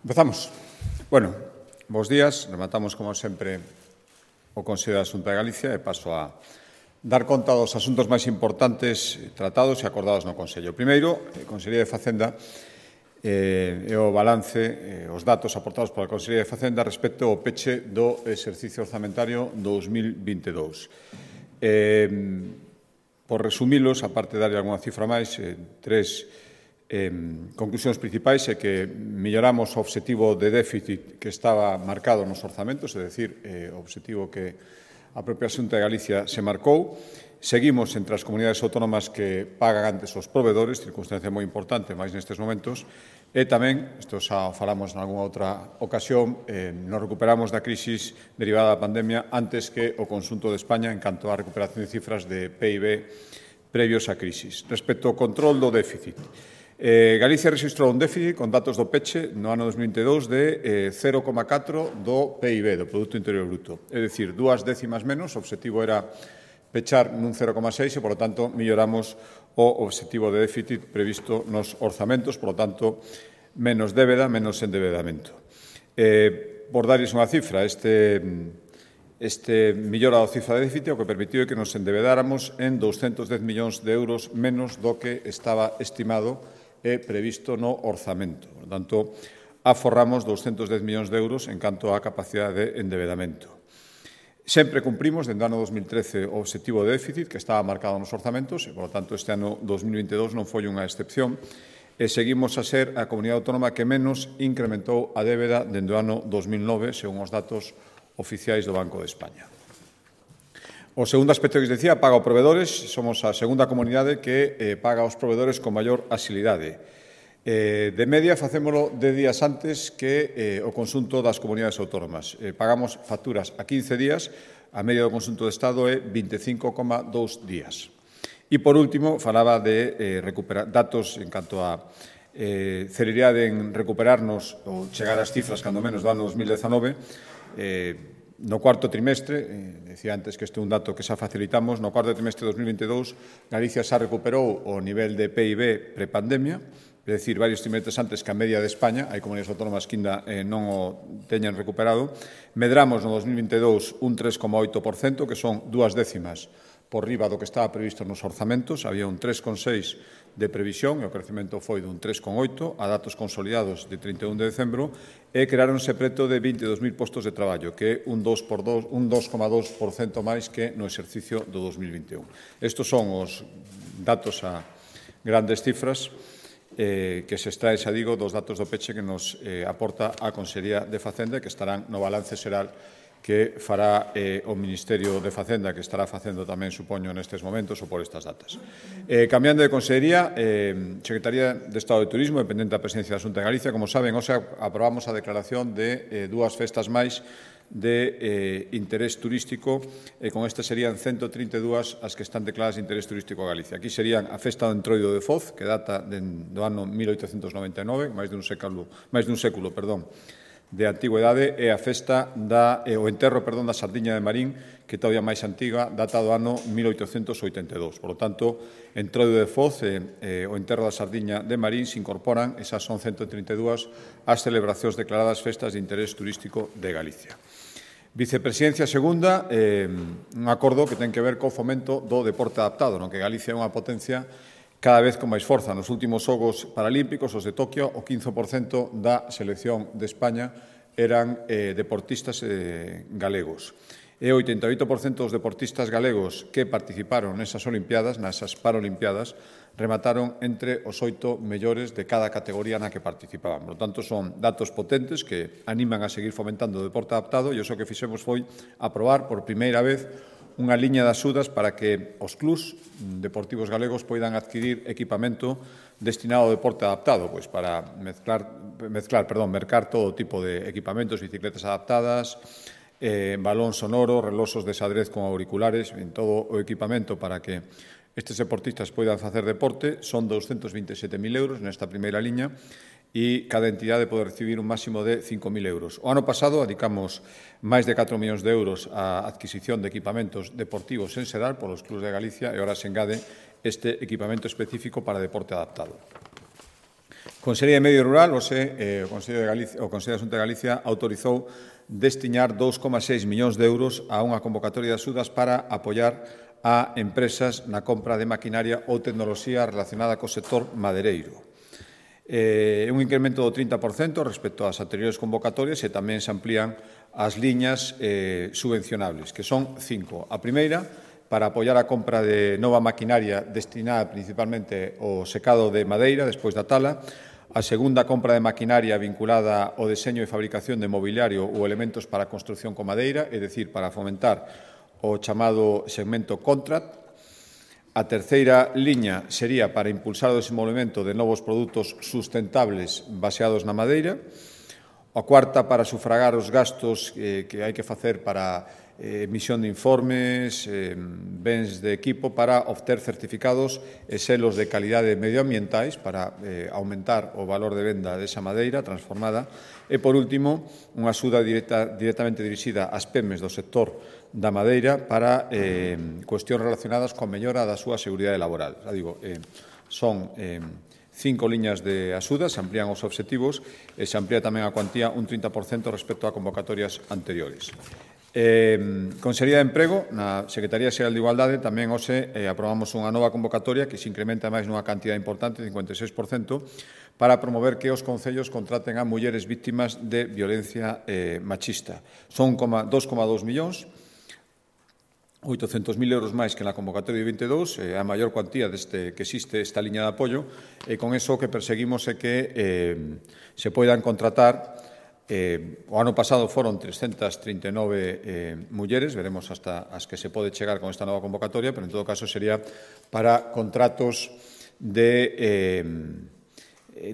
Empezamos. Bueno, bos días. Rematamos, como sempre, o Consello da Xunta de Galicia e paso a dar conta dos asuntos máis importantes tratados e acordados no Consello. Primeiro, a Consellería de Facenda e o balance, os datos aportados pola Consellería de Facenda respecto ao peche do exercicio orzamentario 2022. Por resumilos, aparte de darlle algunha cifra máis, tres conclusións principais é que melloramos o obxectivo de déficit que estaba marcado nos orzamentos, é dicir, o obxectivo que a propia Xunta de Galicia se marcou. Seguimos entre as comunidades autónomas que pagan antes os provedores, circunstancia moi importante, máis nestes momentos, e tamén, isto xa falamos en algunha outra ocasión, nos recuperamos da crisis derivada da pandemia antes que o conxunto de España en canto á recuperación de cifras de PIB previos á crisis. Respecto ao control do déficit, Galicia rexistrou un déficit con datos do peche no ano 2022 de 0,4 do PIB, do Produto Interior Bruto. É dicir, 2 décimas menos, o obxectivo era pechar nun 0,6 e, por lo tanto, melloramos o obxectivo de déficit previsto nos orzamentos, por lo tanto, menos débeda, menos endebedamento. Por darles unha cifra, este mellora da cifra de déficit o que permitiu que nos endebedáramos en 210 millóns de euros menos do que estaba estimado e previsto no orzamento. Por tanto, aforramos 210 millóns de euros en canto á capacidade de endebedamento. Sempre cumprimos, dende o ano 2013, o obxectivo de déficit que estaba marcado nos orzamentos e, por tanto, este ano 2022 non foi unha excepción e seguimos a ser a comunidade autónoma que menos incrementou a débeda dende o ano 2009, según os datos oficiais do Banco de España. O segundo aspecto que dicía, paga aos provedores. Somos a segunda comunidade que paga aos provedores con maior axilidade. De media, facémolo de días antes que o conxunto das comunidades autónomas. Pagamos facturas a 15 días, a media do conxunto do Estado é 25,2 días. E, por último, falaba de recuperar datos en canto a celeridade en recuperarnos ou chegar ás cifras, cando menos, do ano 2019, no cuarto trimestre, decía antes que este é un dato que xa facilitamos, no cuarto trimestre de 2022, Galicia xa recuperou o nivel de PIB prepandemia, é dicir, varios trimestres antes que a media de España, hai comunidades autónomas que ainda non o teñan recuperado. Medramos no 2022 un 3,8%, que son 2 décimas por riba do que estaba previsto nos orzamentos. Había un 3,6% de previsión e o crecemento foi dun 3,8% a datos consolidados de 31 de decembro e creáronse preto de 22.000 postos de traballo, que é un 2,2% máis que no exercicio do 2021. Estos son os datos a grandes cifras que se extrae, xa digo, dos datos do peche que nos aporta a Consellería de Facenda, que estarán no balance xeral que fará o Ministerio de Facenda, que estará facendo tamén, supoño, nestes momentos ou por estas datas. Cambiando de Consellería, Secretaría de Estado de Turismo, dependente da Presidencia da Xunta de Galicia, como saben, hoxe aprobamos a declaración de dúas festas máis de interés turístico e con este serían 132 as que están declaradas de interés turístico a Galicia. Aquí serían a Festa do Entroido de Foz, que data do ano 1899, máis dun século, de antigüedade, e a festa o enterro da Sardiña de Marín, que todavía máis antiga, data do ano 1882. Por lo tanto, Entroido de Foz e o enterro da Sardiña de Marín se incorporan, esas son 132, as celebracións declaradas festas de interés turístico de Galicia. Vicepresidencia segunda, un acordo que ten que ver co fomento do deporte adaptado, no que Galicia é unha potencia cada vez con máis forza. Nos últimos Xogos Paralímpicos, os de Tokio, o 15% da selección de España eran deportistas galegos. E o 88% dos deportistas galegos que participaron nesas Olimpiadas, nesas Paralimpiadas, remataron entre os 8 mellores de cada categoría na que participaban. Por tanto, son datos potentes que animan a seguir fomentando o deporte adaptado e o que fixemos foi aprobar por primeira vez unha liña de axudas para que os clubs deportivos galegos poidan adquirir equipamento destinado ao deporte adaptado, pois para mercar todo tipo de equipamentos, bicicletas adaptadas, balón sonoro, reloxos de xadrez con auriculares, en todo o equipamento para que estes deportistas poidan facer deporte. Son 227.000 euros nesta primeira liña e cada entidade pode recibir un máximo de 5.000 euros. O ano pasado dedicamos máis de 4 millóns de euros á adquisición de equipamentos deportivos en xeral polos clubs de Galicia e agora se engade este equipamento específico para deporte adaptado. Consellería de Medio Rural, o Consello da Xunta de Galicia autorizou destinar 2,6 millóns de euros a unha convocatoria de axudas para apoiar a empresas na compra de maquinaria ou tecnoloxía relacionada co sector madeireiro. Un incremento do 30% respecto ás anteriores convocatorias e tamén se amplían as liñas subvencionables, que son 5. A primeira, para apoiar a compra de nova maquinaria destinada principalmente ao secado de madeira despois da tala. A segunda, compra de maquinaria vinculada ao deseño e fabricación de mobiliario ou elementos para a construción con madeira, é dicir, para fomentar o chamado segmento contract. A terceira liña sería para impulsar o desenvolvemento de novos produtos sustentables baseados na madeira. A cuarta, para sufragar os gastos que hai que facer para emisión de informes, bens de equipo para obter certificados e selos de calidade medioambientais para aumentar o valor de venda desa madeira transformada. E, por último, unha axuda directamente dirixida ás PEMES do sector da madeira para cuestións relacionadas coa mellora da súa seguridade laboral. Já digo, son 5 liñas de axuda, se amplían os obxectivos e se amplía tamén a cuantía un 30% respecto a convocatorias anteriores. Consellería de Emprego, na Secretaría Xeral de Igualdade, tamén hoxe aprobamos unha nova convocatoria que se incrementa máis nunha cantidad importante, 56%, para promover que os concellos contraten a mulleres víctimas de violencia machista. Son 2,2 millóns, 800.000 euros máis que na convocatoria de 22, a maior cuantía que existe esta liña de apoio, e con eso o que perseguimos é que se poidan contratar. O ano pasado foron 339 mulleres, veremos hasta as que se pode chegar con esta nova convocatoria, pero en todo caso sería para contratos de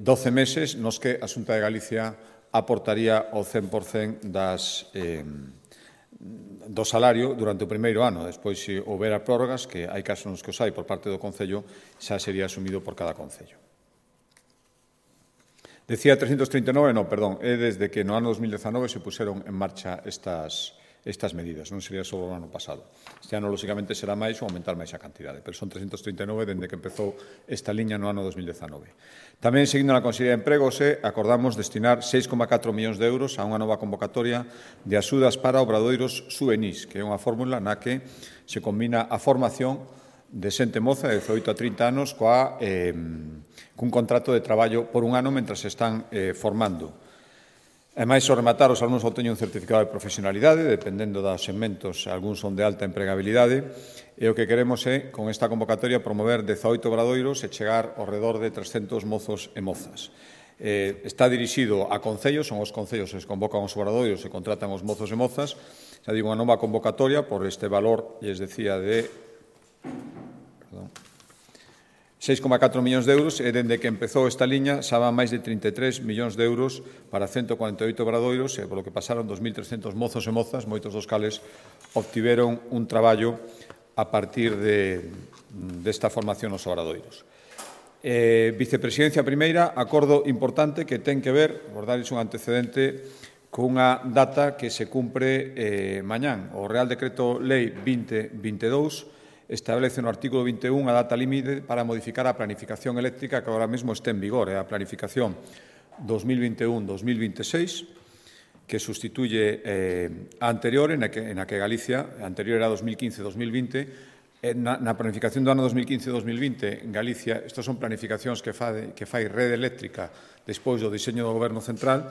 12 meses nos que a Xunta de Galicia aportaría o 100% do salario durante o primeiro ano. Despois, se houbera prórrogas, que hai casos nos que os hai por parte do Concello, xa sería asumido por cada Concello. Decía 339, non, perdón, é desde que no ano 2019 se puseron en marcha estas medidas, non sería só o ano pasado. Este ano, lóxicamente, será máis ou aumentar máis a cantidade, pero son 339 dende que empezou esta liña no ano 2019. Tamén, seguindo na Consellería de Emprego, acordamos destinar 6,4 millóns de euros a unha nova convocatoria de axudas para obradoiros juvenís, que é unha fórmula na que se combina a formación de xente moza de 18 a 30 anos cun contrato de traballo por un ano mentras se están formando. Ademais, ao rematar, os alumnos obteñen un certificado de profesionalidade, dependendo dos segmentos, algúns son de alta empregabilidade, e o que queremos é, con esta convocatoria, promover 18 obradoiros e chegar ao redor de 300 mozos e mozas. Está dirixido a concellos, son os concellos que convocan os obradoiros e contratan os mozos e mozas. Xa digo, unha nova convocatoria por este valor, lles decía, de 6,4 millóns de euros, e dende que empezou esta liña xa van máis de 33 millóns de euros para 148 obradoiros, e polo que pasaron 2.300 mozos e mozas, moitos dos cales obtiveron un traballo a partir desta formación nos obradoiros. Vicepresidencia primeira, acordo importante que ten que ver, por darles un antecedente, cunha data que se cumpre mañán. O Real Decreto Lei 2022 establece no artículo 21 a data límite para modificar a planificación eléctrica que agora mesmo este en vigor, a planificación 2021-2026, que sustituye a anterior, en a que Galicia, a anterior era 2015-2020, na planificación do ano 2015-2020 en Galicia, estas son planificacións que fai Rede Eléctrica despois do diseño do Goberno Central,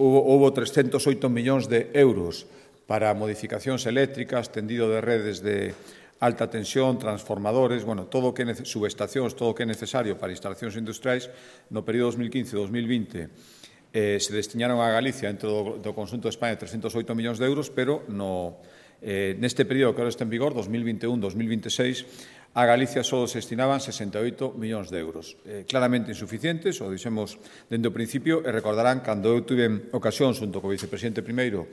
houbo 308 millóns de euros para modificacións eléctricas, tendido de redes de alta tensión, transformadores, todo o que subestacións, todo o que é necesario para instalacións industriais. No período 2015-2020 se destinaron a Galicia dentro do conxunto de España 308 millóns de euros, pero neste período que agora está en vigor, 2021-2026, a Galicia só se destinaban 68 millóns de euros. Claramente insuficientes, o dixemos dende o principio, e recordarán cando eu tuve ocasión, xunto co vicepresidente primeiro,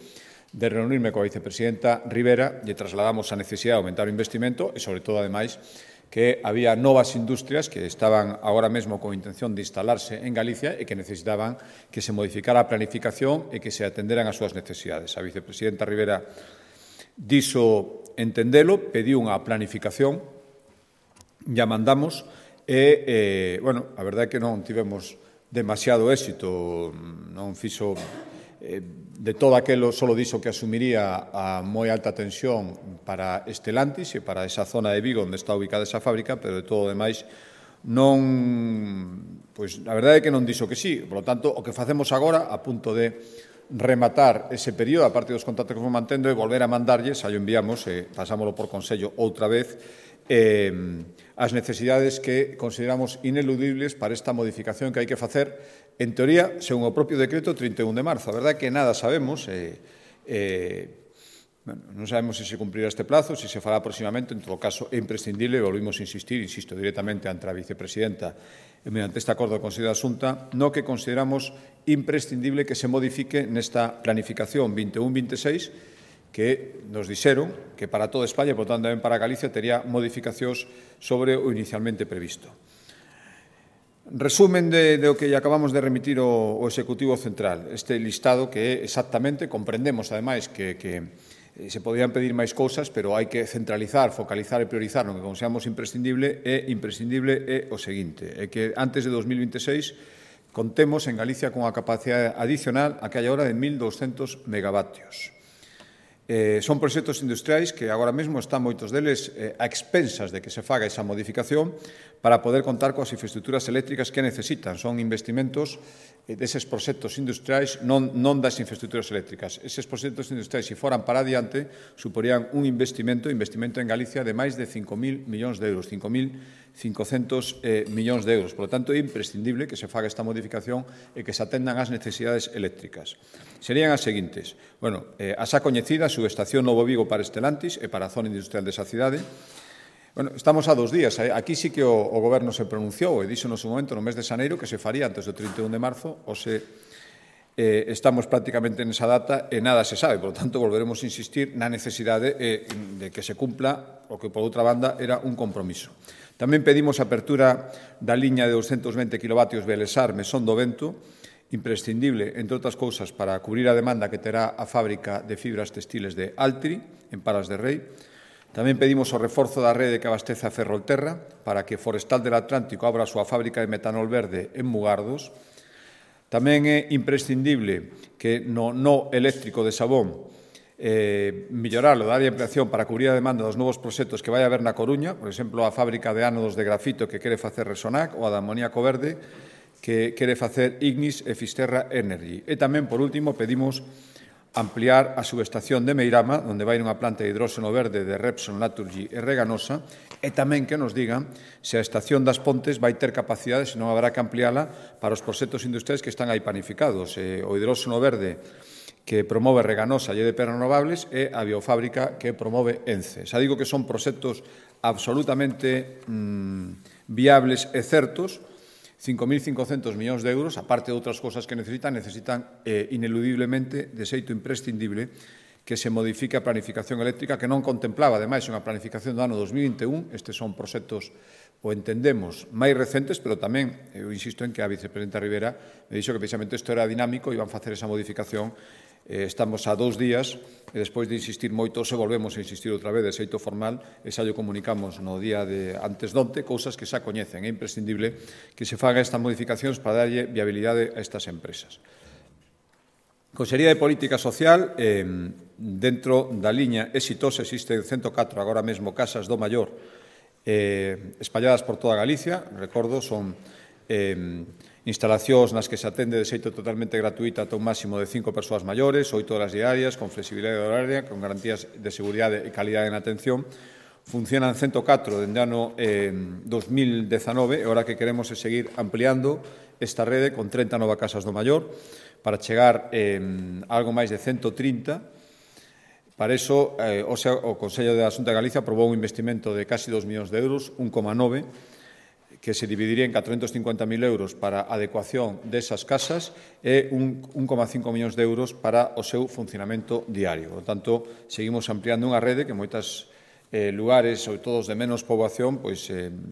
de reunirme coa vicepresidenta Rivera, lle trasladamos a necesidade de aumentar o investimento e, sobre todo, ademais, que había novas industrias que estaban agora mesmo con intención de instalarse en Galicia e que necesitaban que se modificara a planificación e que se atenderan as súas necesidades. A vicepresidenta Rivera dixo entendelo, pediu unha planificación, ya mandamos, E, bueno, a verdade é que non tivemos demasiado éxito, non fixo de todo aquelo, solo dixo que asumiría a moi alta tensión para Estelantis e para esa zona de Vigo onde está ubicada esa fábrica, pero de todo o demais non, pois a verdade é que non dixo que sí. Por lo tanto, o que facemos agora, a punto de rematar ese período, a parte dos contactos que vamos mantendo, e volver a mandarlles, aí o enviamos, pasámoslo por Consello outra vez, as necesidades que consideramos ineludibles para esta modificación que hai que facer, en teoría, según o propio decreto 31 de marzo. A verdade é que nada sabemos, non sabemos se se cumprirá este plazo, se se fará próximamente, en todo caso é imprescindible, e volvimos a insistir, insisto directamente ante a vicepresidenta, mediante este acordo do Consello da Xunta, no que consideramos imprescindible que se modifique nesta planificación 21-26, que nos dixeron que para toda España, por tanto tamén para Galicia, tería modificacións sobre o inicialmente previsto. Resumen do que acabamos de remitir o Executivo Central, este listado que exactamente comprendemos, ademais, que se podían pedir máis cousas, pero hai que centralizar, focalizar e priorizar no que consideramos imprescindible é o seguinte, é que antes de 2026 contemos en Galicia con a capacidade adicional a que hai agora de 1.200 megavatios. Son proxectos industriais que agora mesmo están moitos deles a expensas de que se faga esa modificación para poder contar coas infraestructuras eléctricas que necesitan. Son investimentos deses proxectos industriais, non das infraestructuras eléctricas. Eses proxectos industriais, se foran para adiante, suporían un investimento en Galicia de máis de 5.000 millóns de euros, 5.500 millóns de euros. Por lo tanto, é imprescindible que se faga esta modificación e que se atendan ás necesidades eléctricas. Serían as seguintes. Bueno, a xa coñecida subestación Novo Vigo para Estelantis e para a zona industrial desa cidade. Bueno, estamos a 2 días. Aquí sí que o Goberno se pronunciou e dixo no seu momento, no mes de xaneiro, que se faría antes do 31 de marzo, ou se estamos prácticamente nesa data e nada se sabe. Por lo tanto, volveremos a insistir na necesidade de que se cumpla o que, por outra banda, era un compromiso. Tamén pedimos a apertura da liña de 220 kV Belesar-Mesón do Vento, imprescindible, entre outras cousas, para cubrir a demanda que terá a fábrica de fibras textiles de Altri, en Palas de Rei. Tamén pedimos o reforzo da rede que abastece a Ferrolterra para que Forestal del Atlántico abra a súa fábrica de metanol verde en Mugardos. Tamén é imprescindible que no eléctrico de Sabón melloralo, dar ampliación para cubrir a demanda dos novos proxectos que vai haber na Coruña, por exemplo, a fábrica de ánodos de grafito que quere facer Resonac ou a de amoníaco verde que quere facer Ignis e Fisterra Energy. E tamén, por último, pedimos ampliar a subestación de Meirama, onde vai unha planta de hidróxeno verde de Repsol, Naturgy e Reganosa, e tamén que nos digan se a estación das Pontes vai ter capacidade, se non haberá que ampliála para os proxectos industriais que están aí planificados. O hidróxeno verde que promove Reganosa e EDP Renovables e a biofábrica que promove ENCE. Xa digo que son proxectos absolutamente viables e certos. 5.500 millóns de euros, aparte de outras cousas que necesitan ineludiblemente, de xeito imprescindible, que se modifique a planificación eléctrica que non contemplaba, ademais, unha planificación do ano 2021. Estes son proxectos, o entendemos, máis recentes, pero tamén, eu insisto en que a vicepresidenta Rivera me dixo que precisamente isto era dinámico e iban facer esa modificación. Estamos a 2 días e despois de insistir moito se volvemos a insistir outra vez de xeito formal e xa lle comunicamos no día de antes donte cousas que xa coñecen. É imprescindible que se faga estas modificacións para darlle viabilidade a estas empresas. Consellería de Política Social, dentro da liña exitosa, existen 104 agora mesmo casas do maior espalladas por toda Galicia. Recordo, son instalacións nas que se atende de xeito totalmente gratuita ata un máximo de 5 persoas maiores, 8 horas diarias, con flexibilidade horaria, con garantías de seguridade e calidade na atención. Funcionan 104 dende o ano 2019 e agora que queremos é seguir ampliando esta rede con 30 novas casas do maior para chegar a algo máis de 130. Para iso, o Consello da Xunta de Galicia aprobou un investimento de casi 2 millóns de euros, 1,9, que se dividiría en 450.000 euros para a adecuación desas casas e 1,5 millóns de euros para o seu funcionamento diario. Por tanto, seguimos ampliando unha rede que en moitos lugares, sobre todo os de menos poboación,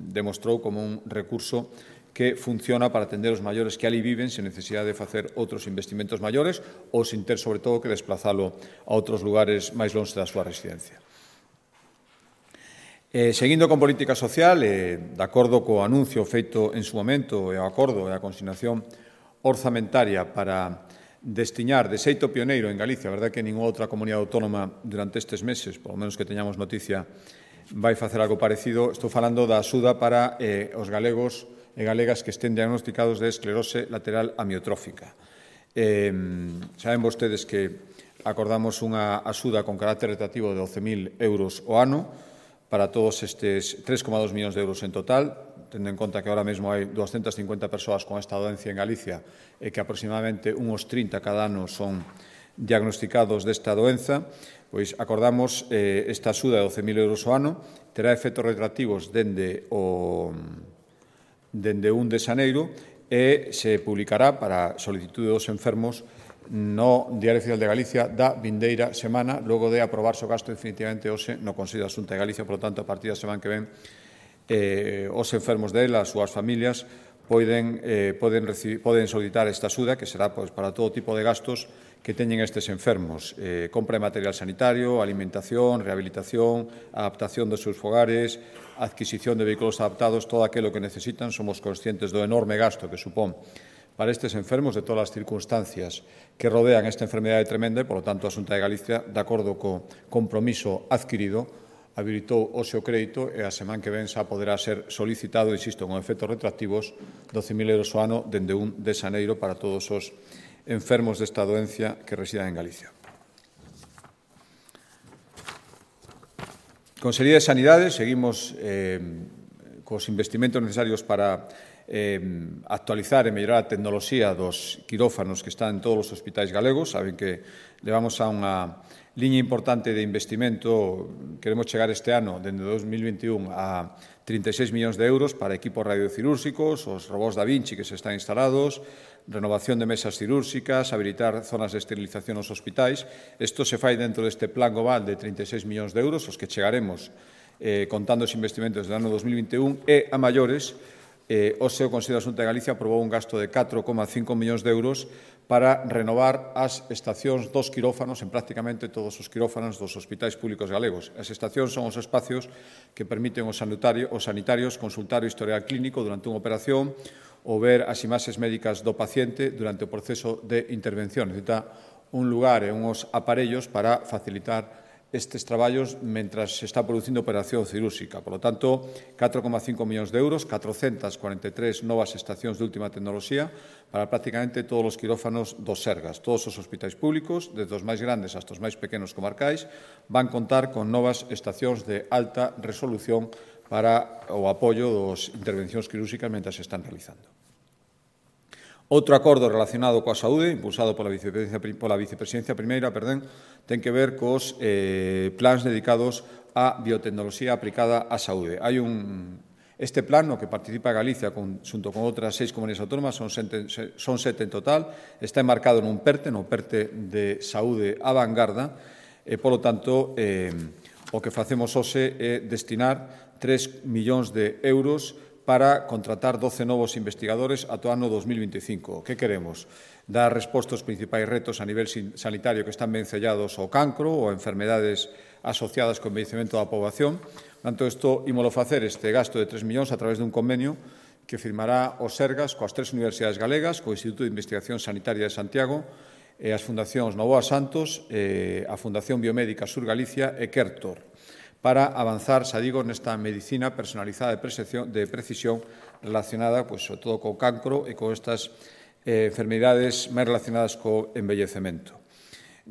demostrou como un recurso que funciona para atender os maiores que ali viven sen necesidade de facer outros investimentos maiores ou sin ter, sobre todo, que desplazalo a outros lugares máis longe da súa residencia. Seguindo con política social, de acordo co anuncio feito en su momento e o acordo e a consignación orzamentaria para destiñar de xeito pioneiro en Galicia, a verdade que ninguna outra comunidade autónoma durante estes meses, polo menos que teñamos noticia, vai facer algo parecido. Estou falando da axuda para os galegos e galegas que estén diagnosticados de esclerose lateral amiotrófica. Saben vostedes que acordamos unha axuda con carácter retractivo de 12.000 euros o ano para todos estes 3,2 millóns de euros en total, tendo en conta que ahora mesmo hai 250 persoas con esta doencia en Galicia e que aproximadamente uns 30 cada ano son diagnosticados desta doenza, pois acordamos esta axuda de 12.000 euros o ano, terá efectos retroactivos dende 1 de xaneiro e se publicará para solicitude dos enfermos no Diario Oficial de Galicia da vindeira semana, logo de aprobarse o gasto definitivamente hoxe no Consello da Xunta de Galicia. Por lo tanto, a partir da semana que ven, os enfermos dela, as súas familias, poden solicitar esta axuda, que será para todo tipo de gastos que teñen estes enfermos. Compra de material sanitario, alimentación, rehabilitación, adaptación dos seus fogares, adquisición de vehículos adaptados, todo aquilo que necesitan. Somos conscientes do enorme gasto que supón para estes enfermos de todas as circunstancias que rodean esta enfermedade tremenda e, polo tanto, a Xunta de Galicia, de acordo co compromiso adquirido, habilitou o seu crédito e a semana que ven xa poderá ser solicitado, insisto, con efectos retroactivos, 12.000 euros o ano dende 1 de xaneiro para todos os enfermos desta doencia que residan en Galicia. Consellería de Sanidade, seguimos cos investimentos necesarios para actualizar e mellorar a tecnoloxía dos quirófanos que están en todos os hospitais galegos. Saben que levamos a unha liña importante de investimento. Queremos chegar este ano, dende 2021, a 36 millóns de euros para equipos radiocirúrxicos, os robots da Vinci que se están instalados, renovación de mesas cirúrxicas, habilitar zonas de esterilización nos hospitais. Isto se fai dentro deste plan global de 36 millóns de euros, os que chegaremos contando os investimentos do ano 2021 e a maiores. O seu Consello da Xunta de Galicia aprobou un gasto de 4,5 millóns de euros para renovar as estacións dos quirófanos en prácticamente todos os quirófanos dos hospitais públicos galegos. As estacións son os espacios que permiten aos sanitarios consultar o historial clínico durante unha operación ou ver as imaxes médicas do paciente durante o proceso de intervención. Necesita un lugar e uns aparellos para facilitar estes traballos mentras se está producindo operación cirúrxica. Por lo tanto, 4,5 millóns de euros, 443 novas estacións de última tecnoloxía para prácticamente todos os quirófanos dos Sergas. Todos os hospitais públicos, desde os máis grandes hasta os máis pequenos comarcais, van contar con novas estacións de alta resolución para o apoio das intervencións quirúrxicas mentras se están realizando. Outro acordo relacionado coa saúde, impulsado pola Vicepresidencia Primeira, ten que ver cos plans dedicados á biotecnoloxía aplicada á saúde. Este plan, no que participa Galicia xunto con outras 6 comunidades autónomas, son 7 en total, está enmarcado nun PERTE, no PERTE de Saúde á Vanguarda, e, polo tanto, o que facemos hoxe é destinar 3 millóns de euros para contratar 12 novos investigadores ata o ano 2025. Que queremos? Dar resposta aos principais retos a nivel sanitario que están vencellados ao cancro ou a enfermedades asociadas co envellecemento da poboación. Por tanto, isto ímolo facer este gasto de 3 millóns a través dun convenio que firmará o Sergas coas 3 universidades galegas, co Instituto de Investigación Sanitaria de Santiago e as fundacións Novoa Santos, a Fundación Biomédica Sur Galicia e Kertor, para avanzar, xa digo, nesta medicina personalizada de precisión relacionada, sobre todo, co cancro e con estas enfermedades máis relacionadas co envellecemento.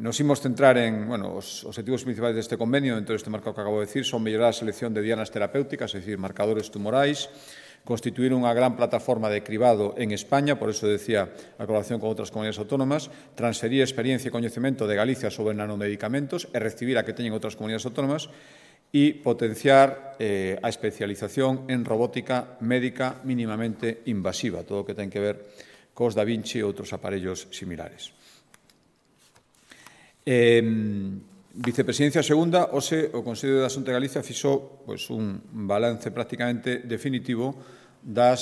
Nos imos centrar en, os objetivos principais deste convenio, dentro deste marco que acabo de decir, son mellorar a selección de dianas terapéuticas, é dicir, marcadores tumorais, constituir unha gran plataforma de cribado en España, por eso decía a colaboración con outras comunidades autónomas, transferir experiencia e coñecemento de Galicia sobre nanomedicamentos e recibir a que teñen outras comunidades autónomas, e potenciar a especialización en robótica médica mínimamente invasiva, todo o que ten que ver cos Da Vinci e outros aparellos similares. Vicepresidencia segunda, hoxe o Consello da Xunta de Galicia fixo un balance prácticamente definitivo do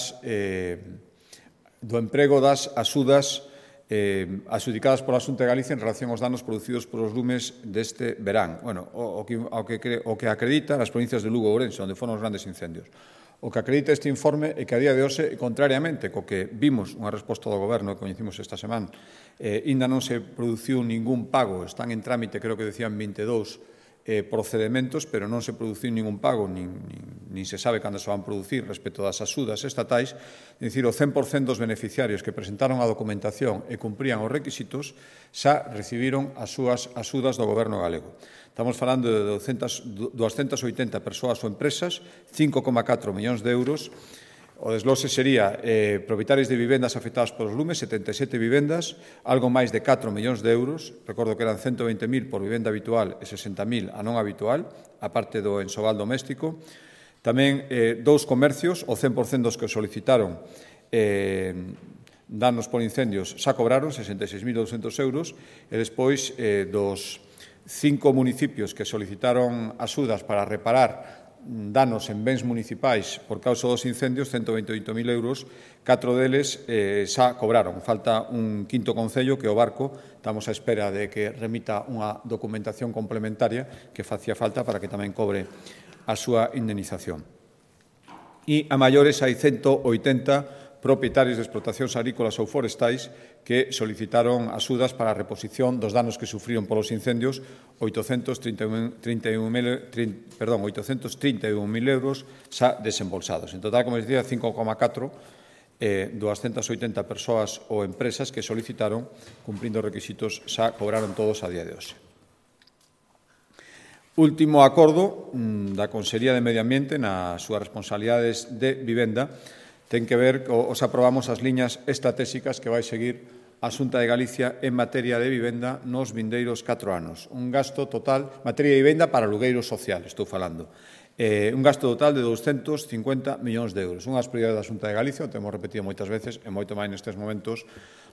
emprego das axudas adxudicadas pola Xunta de Galicia en relación aos danos producidos polos lumes deste verán. Bueno, o que acredita as provincias de Lugo e Ourense, onde foron os grandes incendios. O que acredita este informe é que a día de hoxe, contrariamente co que vimos unha resposta do Goberno que coñecimos esta semana, ainda non se produciu ningún pago, están en trámite, creo que decían 22 procedementos, pero non se produciu ningún pago, nin se sabe cando se van producir respecto das axudas estatais, é dicir, o 100% dos beneficiarios que presentaron a documentación e cumprían os requisitos xa recibiron as súas axudas do Goberno galego. Estamos falando de 280 persoas ou empresas, 5,4 millóns de euros. O desglose sería propietarios de vivendas afectadas polos lumes, 77 vivendas, algo máis de 4 millóns de euros. Recordo que eran 120.000 por vivenda habitual e 60.000 a non habitual, a parte do ensobal doméstico. Tamén dous comercios, o 100% dos que solicitaron danos por incendios xa cobraron 66.200 euros e despois dos 5 municipios que solicitaron axudas para reparar danos en bens municipais por causa dos incendios, 128.000 euros, 4 deles xa cobraron. Falta un quinto concello que o Barco, estamos á espera de que remita unha documentación complementaria que facía falta para que tamén cobre a súa indemnización. E a maiores hai 180 propietarios de explotacións agrícolas ou forestais que solicitaron axudas para a reposición dos danos que sufriron polos incendios, 831.000 euros xa desembolsados. En total, como dicía, 5,4 280 persoas ou empresas que solicitaron, cumprindo os requisitos, xa cobraron todos a día de hoxe. Último acordo da Consellería de Medio Ambiente nas súas responsabilidades de vivenda ten que ver, os aprobamos as liñas estratégicas que vai seguir a Xunta de Galicia en materia de vivenda nos vindeiros 4 anos. Un gasto total, materia de vivenda para alugueiro social, estou falando. Un gasto total de 250 millóns de euros. Unhas prioridades da Xunta de Galicia, o temos repetido moitas veces, e moito máis nestes momentos,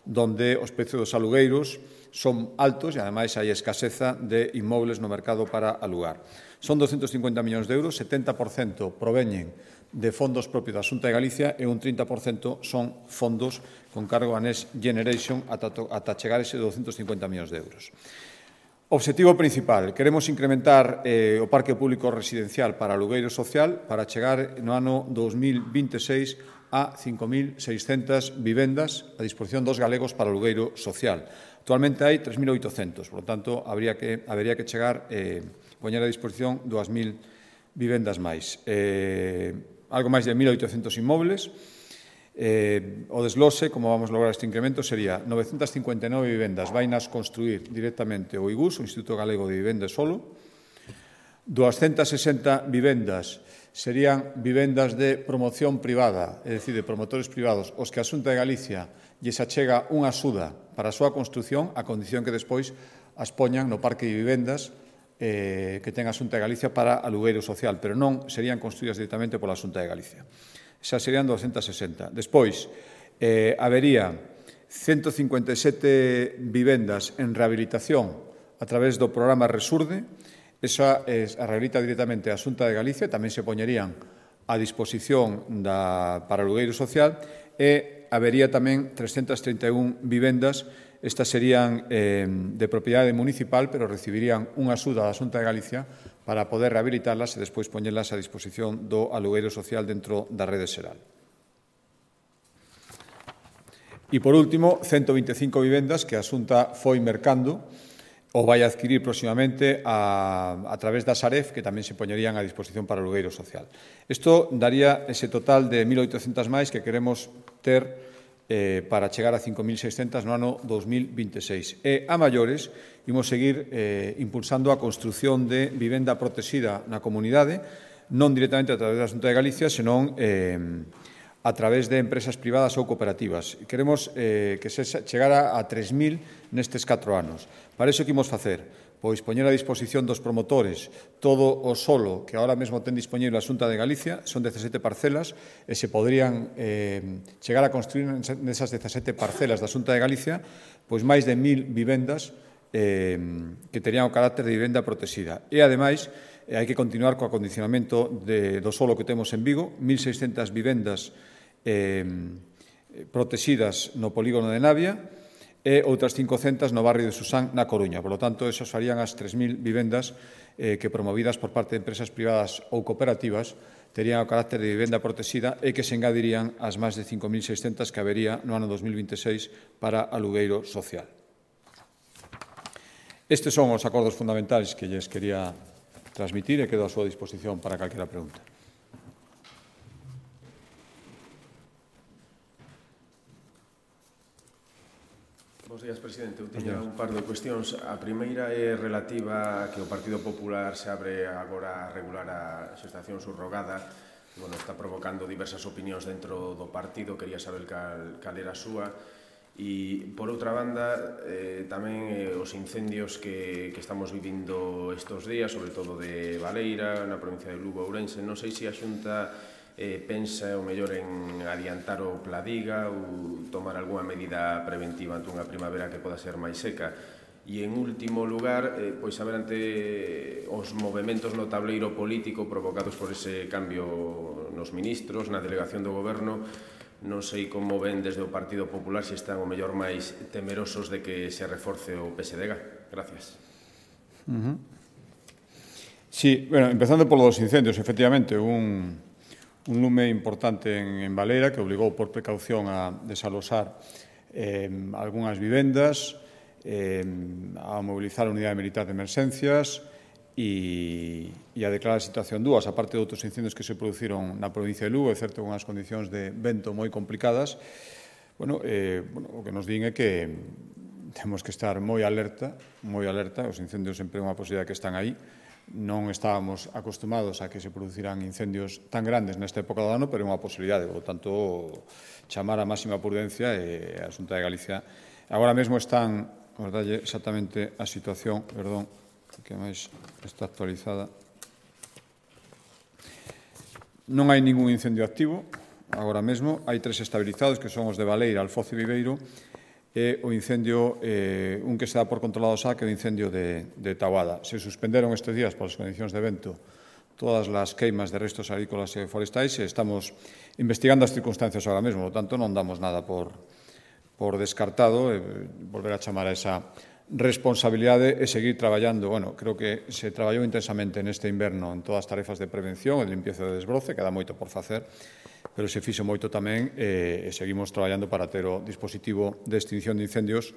donde os precios dos alugueiros son altos e, ademais, hai escaseza de inmobles no mercado para alugar. Son 250 millóns de euros, 70% proveñen de fondos propios da Xunta de Galicia e un 30% son fondos con cargo a Next Generation ata chegar ese 250 millóns de euros. Obxectivo principal, queremos incrementar o parque público residencial para alugueiro social para chegar no ano 2026 a 5.600 vivendas a disposición dos galegos para alugueiro social. Actualmente hai 3.800, por lo tanto, habería que chegar poñer a disposición 2.000 vivendas máis. Algo máis de 1.800 inmobles. O desglose, como vamos lograr este incremento, sería 959 vivendas vainas construir directamente o IGUS, o Instituto Galego de Vivenda e Solo. 260 vivendas serían vivendas de promoción privada, é dicir, de promotores privados, os que a Xunta de Galicia lles achega unha axuda para a súa construción, a condición que despois as poñan no parque de vivendas que ten a Xunta de Galicia para alugueiro social, pero non serían construídas directamente pola Xunta de Galicia. Xa serían 260. Despois, habería 157 vivendas en rehabilitación a través do programa Resurde. Esa a rehabilita directamente a Xunta de Galicia, tamén se poñerían a disposición para alugueiro social e habería tamén 331 vivendas. Estas serían de propiedade municipal, pero recibirían unha axuda da Xunta de Galicia para poder rehabilitarlas e despois poñelas a disposición do alugueiro social dentro da rede xeral. E, por último, 125 vivendas que a Xunta foi mercando ou vai adquirir próximamente a través da Saref, que tamén se poñerían a disposición para alugueiro social. Isto daría ese total de 1.800 máis que queremos ter para chegar a 5.600 no ano 2026. E, a maiores, imos seguir impulsando a construción de vivenda protexida na comunidade, non directamente a través da Xunta de Galicia, senón a través de empresas privadas ou cooperativas. Queremos que se chegara a 3.000 nestes 4 anos. Para iso, que imos facer? Pois poñer a disposición dos promotores todo o solo que ahora mesmo ten disponible a Xunta de Galicia, son 17 parcelas, e se poderían chegar a construir nesas 17 parcelas da Xunta de Galicia pois máis de 1.000 vivendas que terían o carácter de vivenda protexida. E, ademais, hai que continuar co acondicionamento do solo que temos en Vigo, 1.600 vivendas protexidas no polígono de Navia, e outras 500 no barrio de Susán, na Coruña. Por lo tanto, esas farían as 3.000 vivendas que, promovidas por parte de empresas privadas ou cooperativas, terían o carácter de vivenda protexida e que se engadirían ás máis de 5.600 que habería no ano 2026 para alugueiro social. Estes son os acordos fundamentais que lles quería transmitir e quedo a súa disposición para calquera pregunta. Bos días, presidente. Eu teño un par de cuestións. A primeira é relativa a que o Partido Popular se abre agora a regular a xestación subrogada. Bueno, está provocando diversas opinións dentro do partido. Quería saber cal era a súa. E, por outra banda, tamén os incendios que estamos vivindo estes días, sobre todo de Baleira, na provincia de Lugo, Ourense. Non sei se a Xunta pensa o mellor en adiantar o Pladiga ou tomar algunha medida preventiva ante unha primavera que poda ser máis seca. E, en último lugar, pois saber ante os movementos no tableiro político provocados por ese cambio nos ministros, na delegación do Goberno, non sei como ven desde o Partido Popular se están o mellor máis temerosos de que se reforce o PSDG. Gracias. Sí, bueno, empezando por los incendios, efectivamente, un lume importante en Baleira que obligou por precaución a desalosar algunhas vivendas, a mobilizar a unidade militar de emerxencias e a declarar a situación 2, aparte de outros incendios que se produciron na provincia de Lugo, é certo, con as condicións de vento moi complicadas. Bueno, o que nos din é que temos que estar moi alerta, os incendios sempre é unha posibilidade que están aí. Non estábamos acostumados a que se producirán incendios tan grandes nesta época do ano, pero é unha posibilidade, por tanto, chamar a máxima prudencia e a Xunta de Galicia. Agora mesmo están, vamos darlle exactamente a situación, perdón, que máis está actualizada. Non hai ningún incendio activo, agora mesmo, hai 3 estabilizados, que son os de Baleira, Alfoz e Viveiro, e o incendio, un que se dá por controlado xa, que é o incendio de Taboada. Se suspenderon estes días polas condicións de vento todas as queimas de restos agrícolas e forestais e estamos investigando as circunstancias agora mesmo, por tanto non damos nada por descartado, volver a chamar a esa responsabilidade e seguir traballando. Bueno, creo que se traballou intensamente neste inverno en todas as tarefas de prevención e de limpieza de desbroce, queda moito por facer, pero se fixo moito tamén e seguimos traballando para ter o dispositivo de extinción de incendios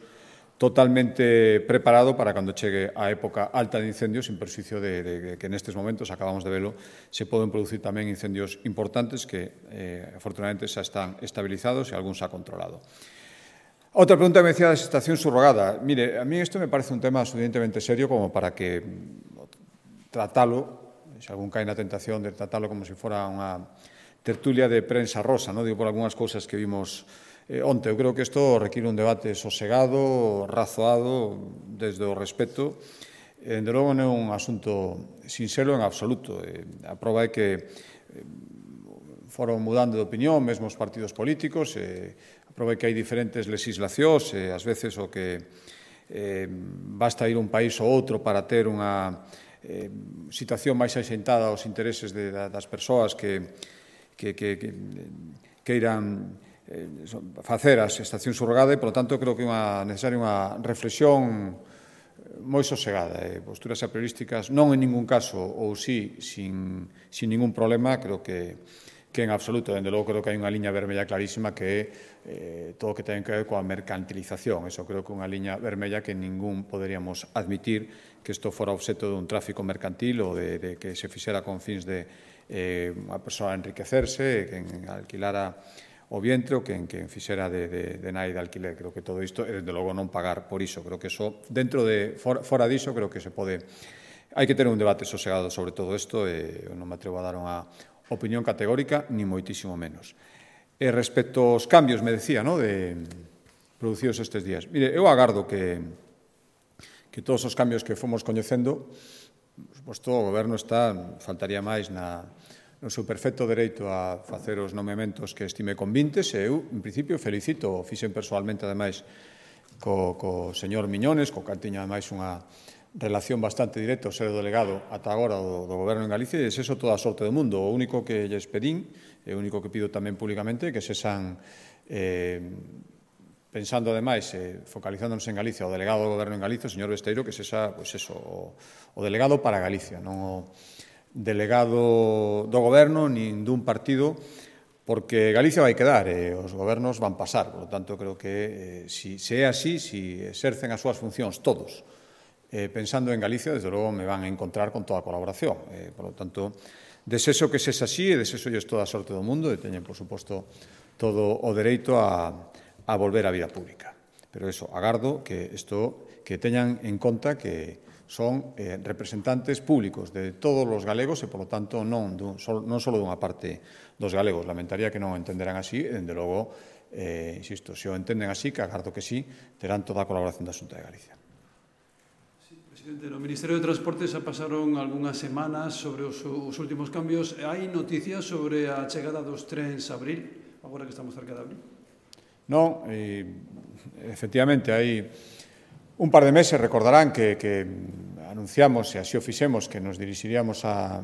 totalmente preparado para cando chegue a época alta de incendios, sin perxuicio de que nestes momentos, acabamos de velo, se poden producir tamén incendios importantes que, afortunadamente, xa están estabilizados e algún xa controlado. Outra pregunta que me decía da xestación subrogada. Mire, a mí isto me parece un tema suficientemente serio como para que tratalo, se algún cae na tentación de tratalo como se fora unha tertulia de prensa rosa, non? Digo, por algunhas cousas que vimos onte. Eu creo que isto require un debate sosegado, razoado, desde o respeto. Dende logo non é un asunto sinxelo en absoluto. A proba é que foron mudando de opinión, mesmo os partidos políticos, a proba é que hai diferentes legislacións, e ás veces o que basta ir un país ou outro para ter unha situación máis axentada aos intereses das persoas que queiran facer a xestación subrogada e, polo tanto, creo que é necesaria unha reflexión moi sosegada. Posturas apriorísticas non en ningún caso, ou sí, sin ningún problema, creo que en absoluto. Dende logo, creo que hai unha liña vermella clarísima que é todo o que ten que ver coa mercantilización. Eso creo que é unha liña vermella que ningún poderíamos admitir que isto fora obxecto dun tráfico mercantil ou de que se fixera con fins de unha persoa enriquecerse, que alquilara o vientre ou que fixera de nai de alquiler. Creo que todo isto, e, desde logo, non pagar por iso. Creo que iso, fora diso, creo que se pode... Hai que ter un debate sosegado sobre todo isto e non me atrevo a dar unha opinión categórica, ni moitísimo menos. E respecto aos cambios, me decía, producidos estes días. Mire, eu agardo que todos os cambios que fomos coñecendo, por suposto, o Goberno faltaría máis no seu perfecto dereito a facer os nomeamentos que estime convintes, e eu, en principio, felicito, fixen persoalmente, ademais, co señor Miñones, co que tiña, ademais, unha relación bastante directa, o ser o delegado ata agora do Goberno en Galicia, e eso toda a sorte do mundo. O único que lles pedín, e o único que pido tamén públicamente, que sexan pensando ademais, focalizándonos en Galicia, o delegado do Goberno en Galicia, o señor Besteiro, que sexa, o delegado para Galicia, non o delegado do Goberno nin dun partido, porque Galicia vai quedar e os gobernos van pasar. Por lo tanto, creo que se é así, se exercen as súas funcións todos, pensando en Galicia, desde logo me van a encontrar con toda a colaboración. Por lo tanto, desexo que sexa así e desexolles toda a sorte do mundo e teñen, por suposto, todo o dereito a volver á vida pública. Pero eso, agardo que teñan en conta que son representantes públicos de todos os galegos e, por lo tanto, non só dunha parte dos galegos. Lamentaría que non o entenderán así e, dende logo, insisto, se o entenden así, que agardo que sí, terán toda a colaboración da Xunta de Galicia. Presidente, no Ministerio de Transportes xa pasaron algunhas semanas sobre os últimos cambios. Hai noticias sobre a chegada dos trens a abril, agora que estamos cerca de abril? Non, efectivamente, hai un par de meses, recordarán que anunciamos, e así o fixemos, que nos dirixiríamos ao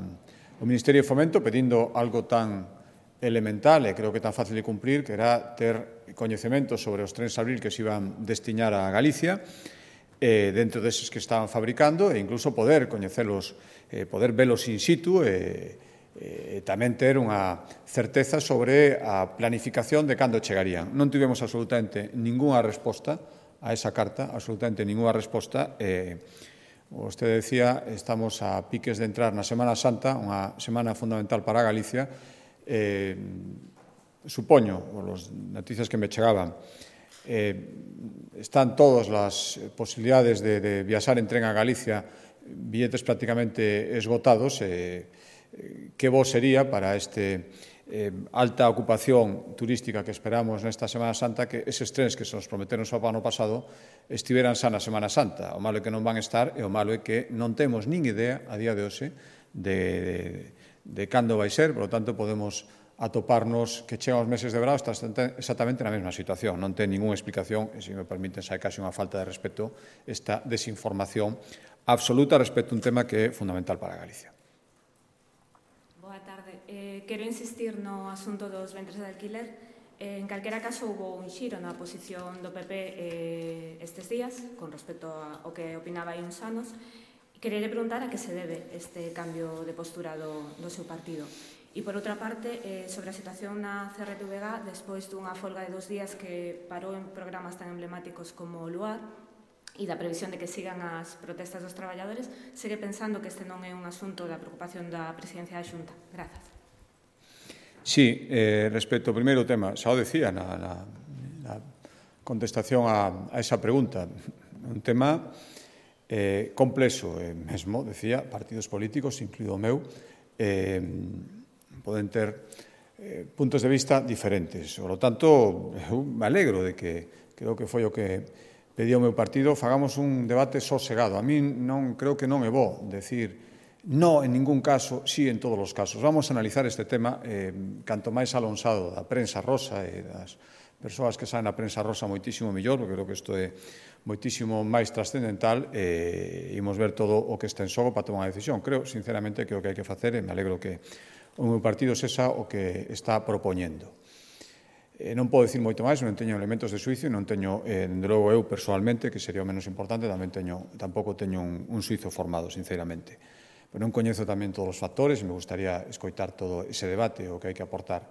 Ministerio de Fomento pedindo algo tan elemental e creo que tan fácil de cumprir, que era ter coñecemento sobre os trens a abril que se iban destiñar a Galicia, dentro deses que estaban fabricando, e incluso poder coñecelos, poder velos in situ e tamén ter unha certeza sobre a planificación de cando chegarían. Non tivemos absolutamente ningunha resposta a esa carta, absolutamente ningunha resposta. Vostede decía, estamos a piques de entrar na Semana Santa, unha semana fundamental para Galicia. Supoño, por as noticias que me chegaban, están todas as posibilidades de viaxar en tren a Galicia, billetes prácticamente esgotados. Que bo sería para este alta ocupación turística que esperamos nesta Semana Santa que eses trens que se nos prometeron só para o ano pasado estiveran xa na Semana Santa. O malo é que non van estar e o malo é que non temos nin idea a día de hoxe de cando vai ser, por lo tanto podemos atoparnos que chegan os meses de verão exactamente na mesma situación. Non ten ninguna explicación e, se me permiten, xa é casi unha falta de respeto esta desinformación absoluta respecto a un tema que é fundamental para Galicia. Boa tarde. Quero insistir no asunto dos ventres de alquiler. En calquera caso, houve un xiro na posición do PP estes días, con respecto ao que opinaba hai uns anos. Quería preguntar a que se debe este cambio de postura do seu partido. E, por outra parte, sobre a situación na CRTVG, despois dunha folga de 2 días que parou en programas tan emblemáticos como o Luar, e da previsión de que sigan as protestas dos traballadores, segue pensando que este non é un asunto da preocupación da Presidencia da Xunta. Grazas. Sí, respecto ao primeiro tema, xa o decía na contestación a esa pregunta, un tema complexo, mesmo, decía, partidos políticos, incluído o meu, poden ter puntos de vista diferentes. Por lo tanto, eu me alegro de que, creo que foi o que pedía o meu partido, fagamos un debate sosegado. A mí creo que non é bo decir no en ningún caso, sí en todos os casos. Vamos a analizar este tema canto máis alonsado da prensa rosa e das persoas que saen na prensa rosa moitísimo mellor, porque creo que isto é moitísimo máis trascendental e imos ver todo o que está en xogo para tomar unha decisión. Creo, sinceramente, que o que hai que facer, e me alegro que o meu partido sexa o que está propoñendo. Non podo dicir moito máis, non teño elementos de xuicio, non teño, dende logo eu persoalmente, que sería o menos importante, tampouco teño un xuicio formado, sinceramente. Pero non coñezo tamén todos os factores e me gustaría escoitar todo ese debate, o que hai que aportar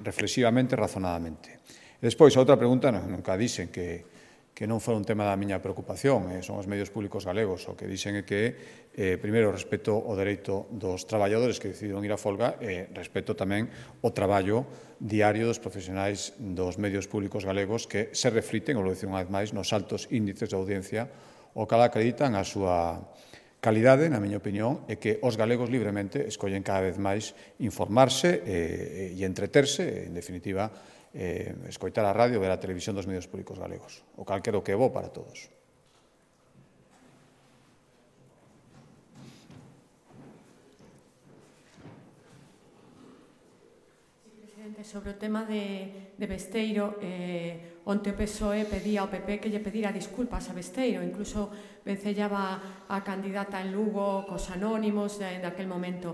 reflexivamente, razonadamente. E despois, a outra pregunta, nunca dixen que non fora un tema da miña preocupación, son os medios públicos galegos, o que dixen é que, primeiro, respeto o dereito dos traballadores que decidiron ir a folga e respeto tamén o traballo diario dos profesionais dos medios públicos galegos que se refliten, ou lo dicen unha vez máis, nos altos índices de audiencia, o cal acreditan a súa calidade, na miña opinión, é que os galegos libremente escollen cada vez máis informarse e entreterse, en definitiva, escoitar a radio, ver a televisión dos medios públicos galegos, o cal creo que é bo para todos. Presidente, sobre o tema de Besteiro, onte o PSOE pedía ao PP que lle pedira disculpas a Besteiro, incluso vencellaba a candidata en Lugo cos anónimos daquel momento.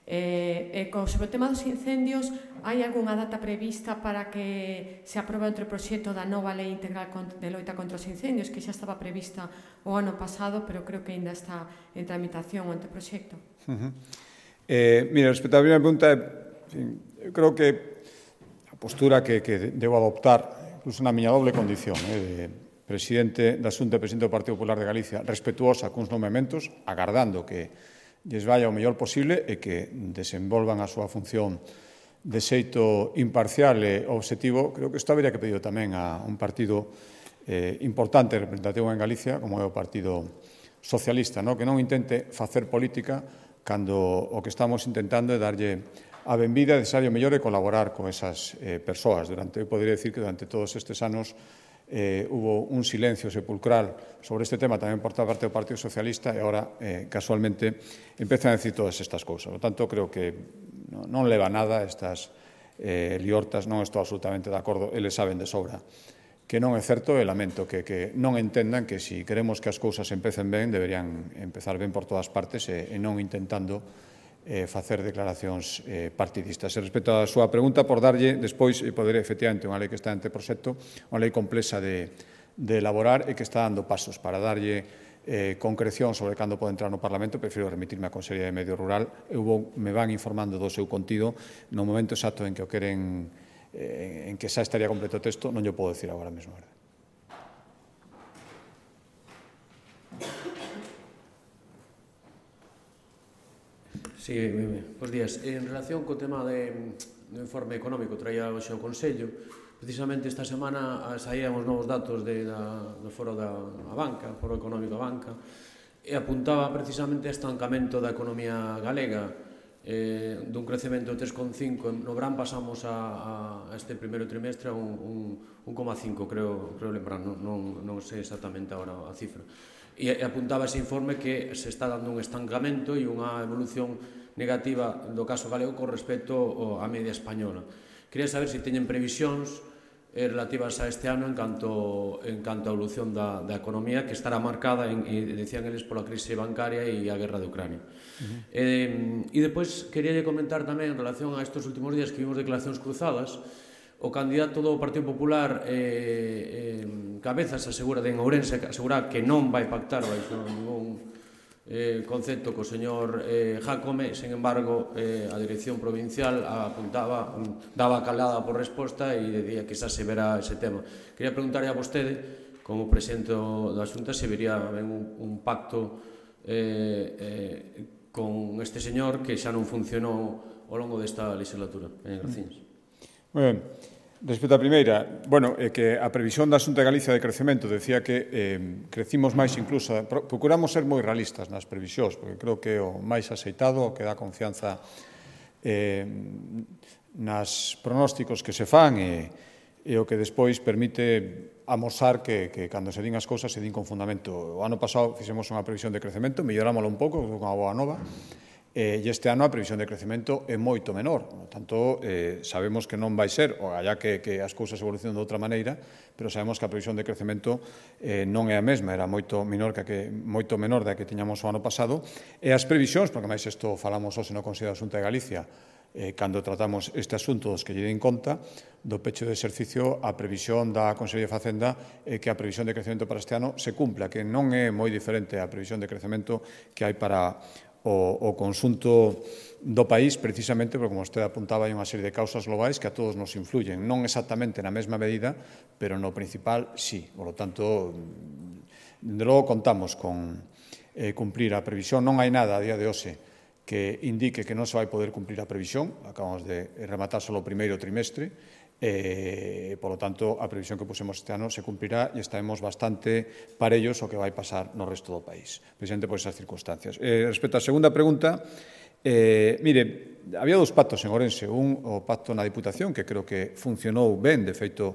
Sobre o tema dos incendios, hai algunha data prevista para que se aprobe o anteproxecto da nova Lei Integral de Loita contra os Incendios, que xa estaba prevista o ano pasado, pero creo que ainda está en tramitación o anteproxecto? Mira, respecto á primeira pregunta, eu creo que a postura que debo adoptar, incluso na miña doble condición, de presidente da Xunta e presidente do Partido Popular de Galicia, respetuosa cuns nomeamentos, agardando que lles vaya o mellor posible e que desenvolvan a súa función de xeito imparcial e obxectivo. Creo que isto habería que pedir tamén a un partido importante e representativo en Galicia, como é o Partido Socialista, que non intente facer política cando o que estamos intentando é darlle a benvida e desearlle o mellor e colaborar con esas persoas. Eu poderia decir que durante todos estes anos hubo un silencio sepulcral sobre este tema tamén por parte do Partido Socialista e agora, casualmente, empezan a decir todas estas cousas. Por tanto, creo que non leva nada estas liortas, non estou absolutamente de acordo, eles saben de sobra que non é certo e lamento que non entendan que se queremos que as cousas empecen ben, deberían empezar ben por todas partes e non intentando facer declaracións partidistas. E respecto á súa pregunta, por darlle despois, poder efectivamente unha lei que está en anteproxecto, unha lei complexa de elaborar e que está dando pasos para darlle concreción sobre cando pode entrar no Parlamento, prefiro remitirme á Consellería de Medio Rural. Me van informando do seu contido no momento exacto en que o queren, en que xa estaría completo o texto, non lle podo decir agora mesmo, verdade? Sí, bons días. En relación co tema do informe económico traía hoxe ao Consello, precisamente esta semana saían os novos datos do Foro da Banca, Foro Económico da Banca, e apuntaba precisamente a estancamento da economía galega, dun crecemento de 3,5. No verán pasamos a este primeiro trimestre a un 1,5, creo lembrar, non sei exactamente agora a cifra. E apuntaba ese informe que se está dando un estancamento e unha evolución negativa do caso galego con respecto á media española. Quería saber se teñen previsións relativas a este ano en canto a evolución da economía, que estará marcada, decían eles, pola crise bancaria e a guerra de Ucrania. E depois quería comentar tamén en relación a estes últimos días que vimos declaracións cruzadas. O candidato do Partido Popular, Cabezas, asegura en Ourense, asegura que non vai pactar baixo ningún concepto co señor Jácome. Sen embargo, a dirección provincial apuntaba, daba calada por resposta e decía que xa se verá ese tema. Quería preguntarle a vostede, como presidente da Xunta, se vería ben un pacto con este señor que xa non funcionou ao longo desta legislatura. Gracias. Moi ben. Respecto á primeira, que a previsión da Xunta de Galicia de crecemento decía que crecimos máis incluso, procuramos ser moi realistas nas previsións, porque creo que o máis aceitado, o que dá confianza nas pronósticos que se fan e o que despois permite amosar que cando se din as cousas se din con fundamento. O ano pasado fixemos unha previsión de crecemento, mellorámoslo un pouco, unha boa nova, e este ano a previsión de crecemento é moito menor. Por tanto, sabemos que non vai ser, ou allá que as cousas evolucionan de outra maneira, pero sabemos que a previsión de crecemento non é a mesma, era moito menor da que tiñamos o ano pasado. E as previsións, porque máis isto falamos hoxe no Consello da Xunta de Galicia, cando tratamos este asunto dos que lle den conta do pecho de exercicio, a previsión da Consellería de Facenda é que a previsión de crecemento para este ano se cumpla, que non é moi diferente a previsión de crecemento que hai para o conxunto do país, precisamente porque, como vostede apuntaba, hai unha serie de causas globais que a todos nos influyen, non exactamente na mesma medida, pero no principal sí. Por lo tanto, de logo contamos con cumplir a previsión. Non hai nada a día de hoxe que indique que non se vai poder cumplir a previsión. Acabamos de rematar só o primeiro trimestre. Por lo tanto, a previsión que pusemos este ano se cumplirá e estaremos bastante parellos ao que vai pasar no resto do país, precisamente por esas circunstancias. Respecto á segunda pregunta, mire, había dous pactos en Ourense, o pacto na Diputación, que creo que funcionou ben, de feito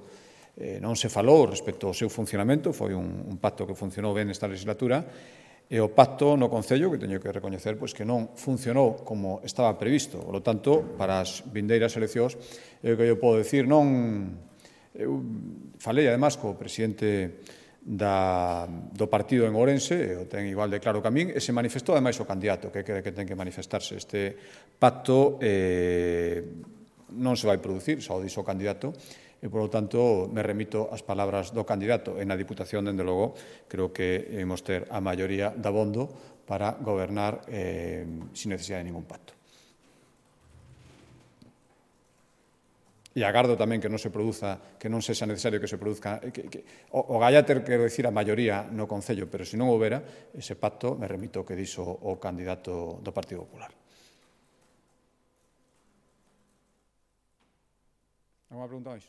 non se falou respecto ao seu funcionamento, foi un pacto que funcionou ben nesta legislatura, e o pacto no Concello, que teño que recoñecer que non funcionou como estaba previsto. Por lo tanto, para as vindeiras eleccións, o que eu podo decir, eu falei, además, co presidente do partido en Ourense, o ten igual de claro que a min, e se manifestou ademais o candidato, que cree que ten que manifestarse. Este pacto non se vai producir, só o dixo o candidato, e, por lo tanto, me remito ás palabras do candidato. E na Diputación, dende logo, creo que imos ter a maioría dabondo para gobernar sin necesidade de ningún pacto. E agardo tamén que non se produza, que non sexa necesario que se produzca, o gallater, quero dicir, a maioría no Concello, pero se non houbera ese pacto, me remito ao que dixo o candidato do Partido Popular. Alguna pregunta máis?